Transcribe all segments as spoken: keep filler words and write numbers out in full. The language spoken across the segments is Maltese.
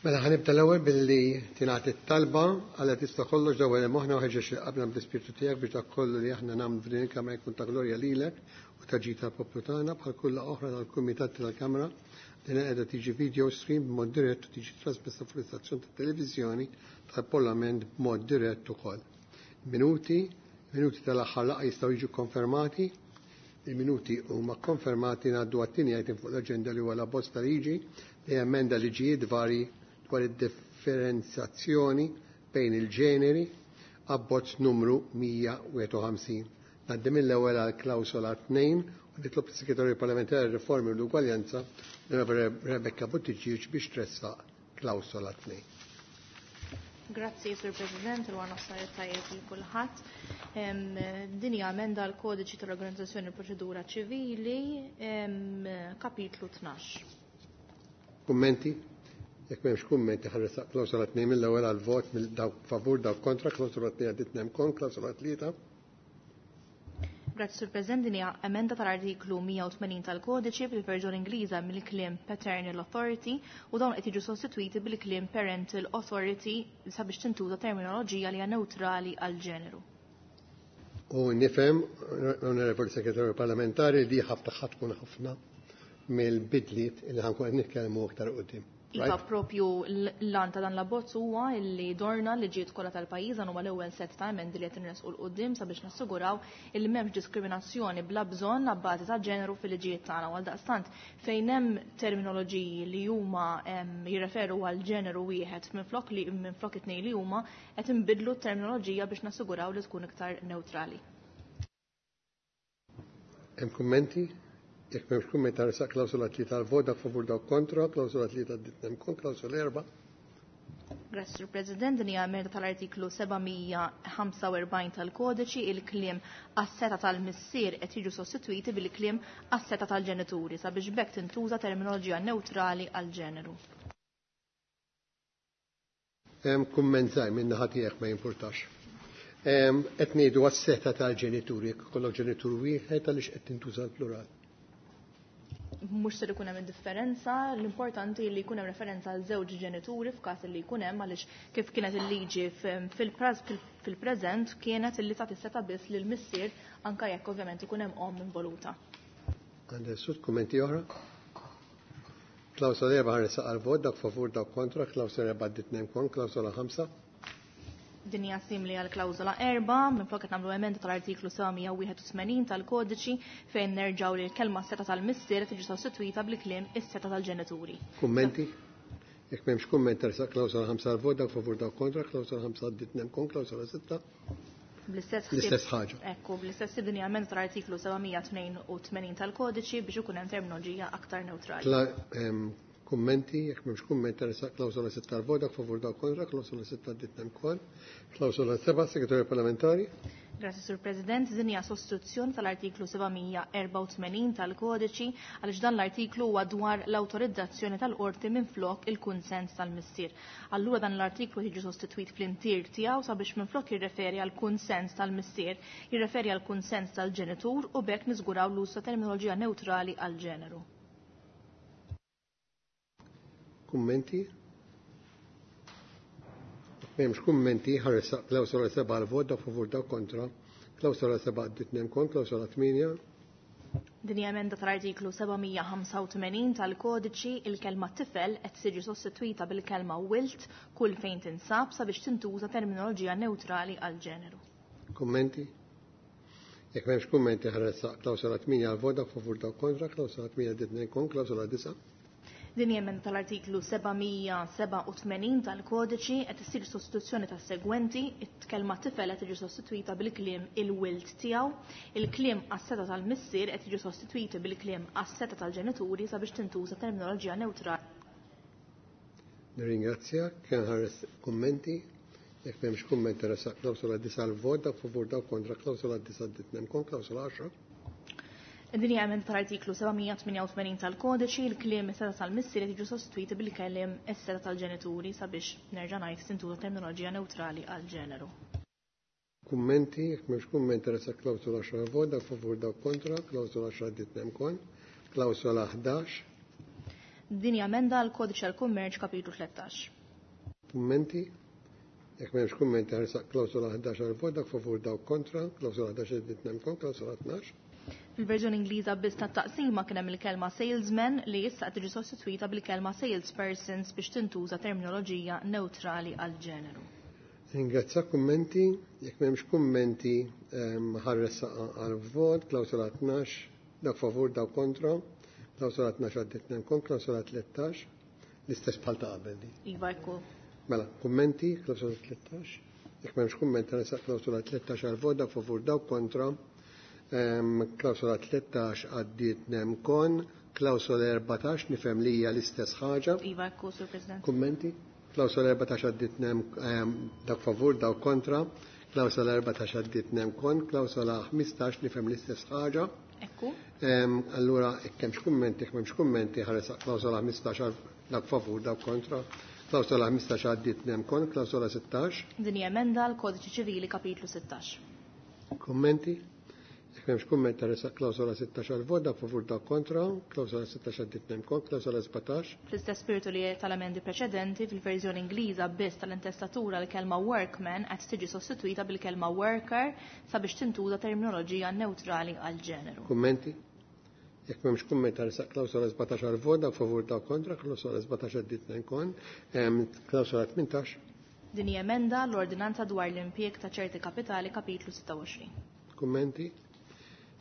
Mela ħa nibda l-ewwel billi tingħati t-talba Alla tista' kollox dawwal moħħna u ħeġġeġ lil qalbna bl-Ispirtu tiegħek biex dak kollu li aħna nagħmlu f'din il-Kamra jkun ta' glorja lilek u ta' ġid tal-poplu tagħna bħal kull oħra tal-Kumitat tal-Kamra. Din qiegħda tiġi video stream b'mod dirett u tiġi trasmessa fuq l-istazzjon tat-televiżjoni tal-Parlament b'mod dirett ukoll. Minuti, minuti tal-aħħar laqgħa jistgħu jiġu konfermati. Il-minuti huma konfermati. Ngħaddu għat-tieni item fuq l-aġenda, li huwa l-abbozz ta' liġi li emenda liġijiet vari dwar id-differenzjazzjoni bejn il-ġeneri, abbozz numru mija u wieħed u ħamsin. Ngħaddi mill-ewwel għal klawsola tnejn u nitlob is-Segretarju Parlamentari Riformi u l-Ugwaljanza, Rebecca Buttigieg, biex tressaq klawsola tnejn. Grazzi, Sur President, u nofsinhar tajjeb lil kulħadd. Din hija emenda l-Kodiċi tal-Organizzazzjoni Proċedura Ċivili, kapitlu tnax. Kummenti? Jekk m'hemmx kummenti, ħa nressaq klawsola tnejn mill-ewwel għal vot mill dawk favur, dawk kontra. Klawsola tnejn għaddiet nemkon. Klawsola tlieta. Grazzi, Sur President, din hija emenda tal-artiklu mija u tmenin tal-Kodiċi fil-verżjoni Ingliża mill-kliem paternal authority u dawn qed jiġu sostitwiti bil-kliem parental authority sabiex tintuża terminoloġija li hija neutrali għal ġeneru. U nifhem, Onorevoli Segretarju Parlamentari, li ħafna tkun ħafna mill-bidliet li ħa nkun qed nitkellmu aktar quddiem. Iva, propju l-għan ta' dan l-abbozz huwa illi dorna liġijiet kollha tal-pajjiż. Dan huwa l-ewwel set ta' emendi li qed inresqu 'l quddiem sabiex nassiguraw illi m'hemmx diskriminazzjoni bla bżonn abbażi ta' ġeneru fil-liġijiet tagħna. Għal daqstant fejn hemm terminoloġiji li huma jirreferu għal ġeneru wieħed minflok li minflok it-tnejn li huma, qed inbidlu t-terminoloġija biex nassiguraw li tkun iktar neutrali. Hemm kummenti? Jekk m'hemmx kumment, nressaq klawsola tlieta għal vot. Dak favur, dawk kontra. Klawsola tlieta għaddiet nemkon. Klawsola erba'. Grazzi, Sur President, din hija emenda tal-artiklu seba' mija u ħamsa u erbgħin tal-Kodiċi, il-kliem għas-setgħa tal-missier qed jiġu sostitwiti bil-kliem għas-setgħa tal-ġenituri sabiex b'hekk tintuża terminoloġija neutrali għal ġeneru. Hemm kumment żgħir minn naħa tiegħek, ma jimpurtax. Qed ngħidu għas-setgħa tal-ġenituri, jekk ikollok ġenitur wieħed, għaliex qed tintuża l-plural? Mhux ser ikun hemm differenza, l-importanti li jkun hemm referenza għal żewġ ġenituri f'każ li jkun hemm, għaliex kif kienet il-liġi fil-preżent kienet illi tagħti setgħa biss lil missier, anke jekk ovvjament ikun hemm omm involuta. Għandek sud kummenti oħra? Klawsola erba' ħa nressaq għal vot. Dak favur, dak kontra. Klawsola erba' għaddiet nemkon. Klawsola ħamsa. Din hija simili għal klawżola erba', minflok qed nagħmlu emenda tal-artiklu seba' mija u wieħed u tmenin tal-Kodiċi fejn nerġgħu li l-kelma setgħa tal-missier tiġi sostitwita bil-kliem is-setgħa tal-ġenituri. Kummenti? Jekk m'hemmx kumment, nressaq klawsola ħamsa għal vot. Dak favur, dak kontra. Klawsola ħamsa għaddiet nemkon. Klawsola sitta. Bl-istess L-istess ħaġa. Ekku, bl-istess, din hija emenda tal-artiklu seba' mija u tnejn u tmenin tal-Kodiċi biex ikun hemm terminoloġija aktar neutrali. Kummenti? Jekk m'hemmx kumment, nressaq klawsola sitta għal vot. Dak favur, dak kontra. Klawsola sitta għaddiet nemkon. Klawsola seba', Segretarju Parlamentari. Grazzi, Sur President, din hija sostituzzjoni tal-artiklu seba' mija u erbgħa u tmenin tal-Kodiċi għaliex dan l-artiklu huwa dwar l-awtorizzazzjoni tal-qorti minflok il-kunsens tal-missier. Allura dan l-artiklu jiġi sostitwit fl-intier tiegħu sabiex minflok jirreferi għal kunsens tal-missier, jirreferi għal kunsens tal-ġenitur u b'hekk niżguraw l-uż ta' terminoloġija neutrali għal ġeneru. Kummenti? M'hemmx kummenti, ħa nressaq klawsola seba' għal vot. Dak favur, dak kontra. Klawsola seba' għaddiet nemkon. Klawsola tmienja. Din hija emenda tal-artiklu seba' mija u ħamsa u tmenin tal-Kodiċi, il-kelma tifel qed tiġi sostitwita bil-kelma wild kull fejn tinsab sabiex tintuża terminoloġija neutrali għal ġeneru. Kummenti? Jekk m'hemmx kummenti, ħa nressaq klawsola tmienja għal vot. Dak favur, dak kontra. Klawsola tmienja għaddiet nemkon. Klawsola disa'. Din hija emenda tal-artiklu seba' mija u seba' u tmenin tal-Kodiċi, qed issir sostituzzjoni tas-segwenti: it-kelma tifel qed tiġi sostitwita bil-kliem il-wild tiegħu, il-kliem għas-setgħa tal-missier qed jiġu sostitwiti bil-kliem għas-setgħa tal-ġenituri sabiex tintuża terminoloġija neutrali. Nirringrazzjak, kien ħares kummenti. Jekk m'hemmx kummenti, nressaq klawsola disa' għal vot. Dak favur, dak kontra. Klawsola disa' għaddiet nemkon. Klawsola għaxra. Din hija emenda tal-artiklu seba' mija u tmienja u tmenin tal-Kodiċi, il-kliem is-setgħa tal-missier qed jiġu sostitwiti bil-kliem is-setgħa tal-ġenituri sabiex nerġa' ngħid tintuża terminoloġija neutrali għal ġeneru. Kummenti? Jekk m'hemmx kummenti, nressaq klawsola għaxra vot. Dak favur, dak kontra. Klawsola għaxra għaddiet nemkon. Klawsola ħdax. Din hija emenda għal Kodiċi tal-Kummerċ kapitlu tlettax. Kummenti? Jekk m'hemmx kummenti ħarsaq klawsola ħdax għal vot, dak favur dawk kontra, klawsola ħdax għaddiet nemkon, klawsola tnax. Fil-verżjoni Ingliża biss tat-taqsima kien hemm il-kelma salesman li issa qed tiġi sostitwita bil-kelma salespersons biex tintuża terminoloġija neutrali għal ġeneru. Ringrazzja kummenti, jekk m'hemmx kummenti ħarressaq għal vot, klawsola tnax, dak favur dawk kontra, klawsola tnax għaddiet nemkon, klawsola tlettax, l-istess bħal ta' qabel di. Iva, ekku. Mela, kummenti, klawsola tlettax, jekk m'hemmx kummenti ħarressaq klawsola tlettax għal vot, dak favur dawk kontra, klawsola tlettax għaddiet nemkon, klawsola erbatax nifhem li hija l-istess ħaġa. Iva, ekku, Sur President. Kummenti? Klawsola erbatax għaddiet nem, dak favur dawk kontra, klawsola erbatax għaddiet nemkon, klawsola ħmistax nifhem l-istess ħaġa. Ekku. Allura, jekk hemmx kummenti, jekk m'hemmx kummenti, ħaresaq klawsola ħmistax dak favur dawk kontra, klawsola ħmistax għaddiet nemkon, klawsola sittax. Din hija emenda għal Kodiċi Ċivili kapitlu sittax. Kummenti? Jekk m'hemmx kumment ħaresaq klawsola sittax għal vot, dak favur dawk kontra, klawsola sittax għaddiet nemkon, klawsola sbatax. Fl-istess spiritu li tal-emendi preċedenti, fil-verżjoni Ingliża biss tal-intestatura l-kelma workman qed tiġi sostitwita bil-kelma worker sabiex tintuża terminoloġija neutrali għal ġeneru. Kummenti? Jekk m'hemmx kumment ħaresaq klawsola sbatax għal vot, dak favur dawk kontra, klawsola sbatax għaddiet nemkon, klawsola tmintax. Din hija emenda l-ordinanza dwar l-impjieg ta' ċerti kapitali kapitlu sitta u għoxrin. Kummenti?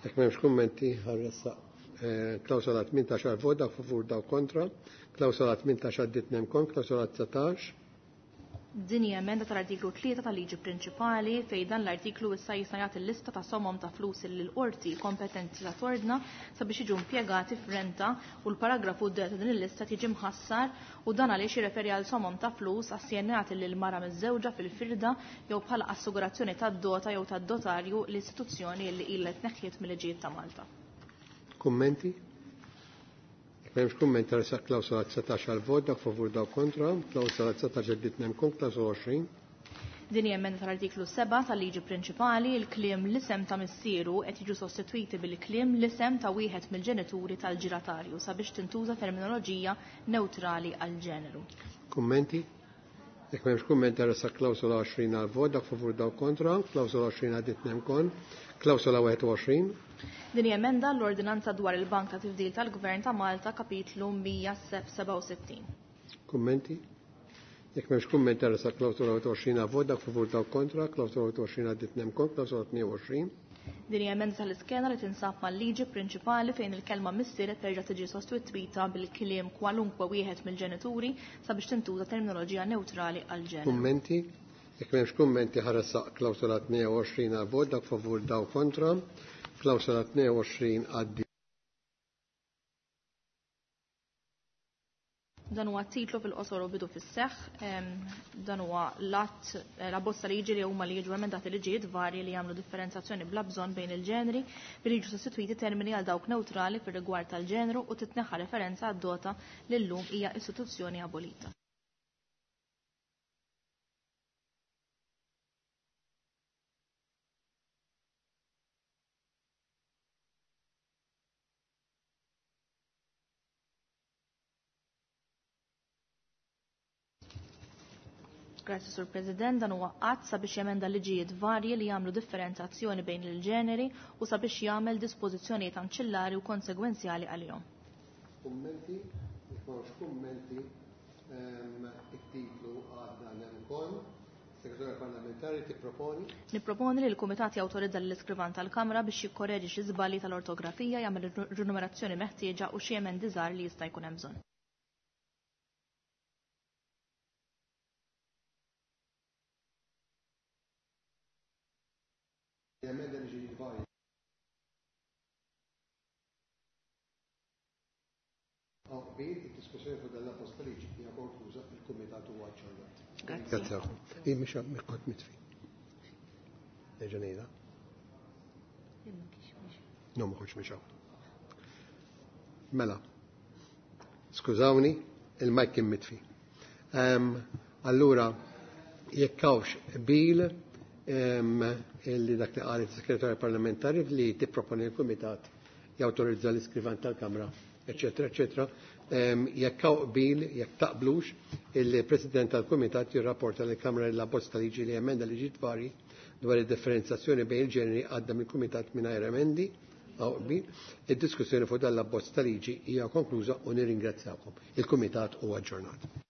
Jekk m'hemmx kummenti ħarressaq klawsola tmintax għal vot, dak favur dawk kontra, klawsola tmintax għaddiet nemkon, klawsola dsatax. Din hija emenda tal-artiklu tlieta tal-liġi prinċipali fejn dan l-artiklu issa jista' jagħti l-lista ta' somom ta' flus li l-qorti kompetenti ta' tordna sabiex jiġu impjegati f'renta u l-paragrafu D ta' din il-lista tiġi mħassar u dan għaliex jirreferi għal somom ta' flus assenjati lil mara miż-żewġa fil-firda jew bħala assigurazzjoni tad-dota jew tad-dotarju l-istituzzjoni li ilha tneħħiet mill-liġijiet ta' Malta. Kummenti? M'hemmx kumment ħaresaq klawsola dsatax għal vot, dak favur dawk kontra, klawsola dsatax għaddiet nemkon, klawsola għoxrin. Din hija emenda tal-artiklu seba' tal-liġi prinċipali, il-kliem l-isem ta' missieru qed jiġu sostitwiti bil-kliem l-isem ta' wieħed mill-ġenituri tal-ġiratarju sabiex tintuża terminoloġija neutrali għal ġeneru. Kummenti? Jekk m'hemmx kumment ħaresaq klawsola għoxrin għal vot, dak favur dawk kontra, klawsola għoxrin għaddiet nemkon, klawsola wieħed u għoxrin. Din hija emenda l-ordinanza dwar il-Bank ta' Tifdil tal-Gvern ta' Malta kapitlu mija sebgħa u sittin. Kummenti? Jekk m'hemmx kumment ħaresaq klawsola wieħed u għoxrin għal vot, dak favur dawk kontra, klawsola wieħed u għoxrin għaddiet nemkon, klawsola tnejn u għoxrin. Din hija emenda tal-iskeda li tinsab mal-liġi prinċipali fejn il-kelma missier qed terġa' tiġi sostitwita bil-kliem kwalunkwe wieħed mill-ġenituri sabiex tintuża terminoloġija neutrali għal ġeneru. Kummenti? Jekk m'hemmx kummenti ħaresaq klawsola tnejn u għoxrin għal vot, dak favur dawk kontra, klawsola tnejn u għoxrin għaddi. Dan huwa titlu fil-qosor u bidu fis-seħħ, dan huwa l-att la bozza liġi li huma li jiġu emendati liġijiet varji li jagħmlu differenzjazzjoni bla bżonn bejn il-ġeneri billi jiġu sostitwiti termini għal dawk neutrali fir-rigward tal-ġeneru u titneħħa referenza għad-dota li llum hija istituzzjoni abolita. Grazie, Sur President, dan huwa qatt sabiex jemenda liġijiet varji li jagħmlu differenzjazzjoni bejn il-ġeneri u sabiex jagħmel dispożizzjonijiet anċillari u konsegwenzjali għalihom. Kummenti, jekk m'hawnx kummenti, it-titlu għadda nemkon. Segretarju Parlamentari tipproponi? Nipproponi li l-Kumitat jawtorizza lill-iskrivan tal-Kamra biex jikkoreġi xi żbalji tal-ortografija, jagħmel rinumerazzjoni meħtieġa u xi emendi żgħar li jista' jkun hemm bżonn. Emenda li ġi varji. Qbil, id-diskussjoni fuq dan l-abbozz ta' liġi hija konkluża, il-Kumitat huwa aġġornat. Grazzi. Grazzi. Jien mhux kont mitfi. Nerġa' ngħidha. No, ma kontx mhix hawn. Mela. Skużawni, il-mic kien mitfi. Allura, jekk hawnx qbil illi dak li qalet is-Segretarja Parlamentari li tipproponi l-Kumitat jawtorizza l-iskrivan tal-Kamra, eċetera, eċetera. Jekk hawn qbil, jekk taqblux, il-President tal-Kumitat jirrapporta lill-Kamra li l-abbozz ta' liġi li emenda liġi dwari dwar id-differenzjazzjoni bejn il-ġeneri għadda mill-Kumitat mingħajr emendi hawn qbil. Id-diskussjoni fuq dan l-abbozz ta' liġi hija konkluża u nirringrazzjakom. Il-Kumitat huwa aġġornat.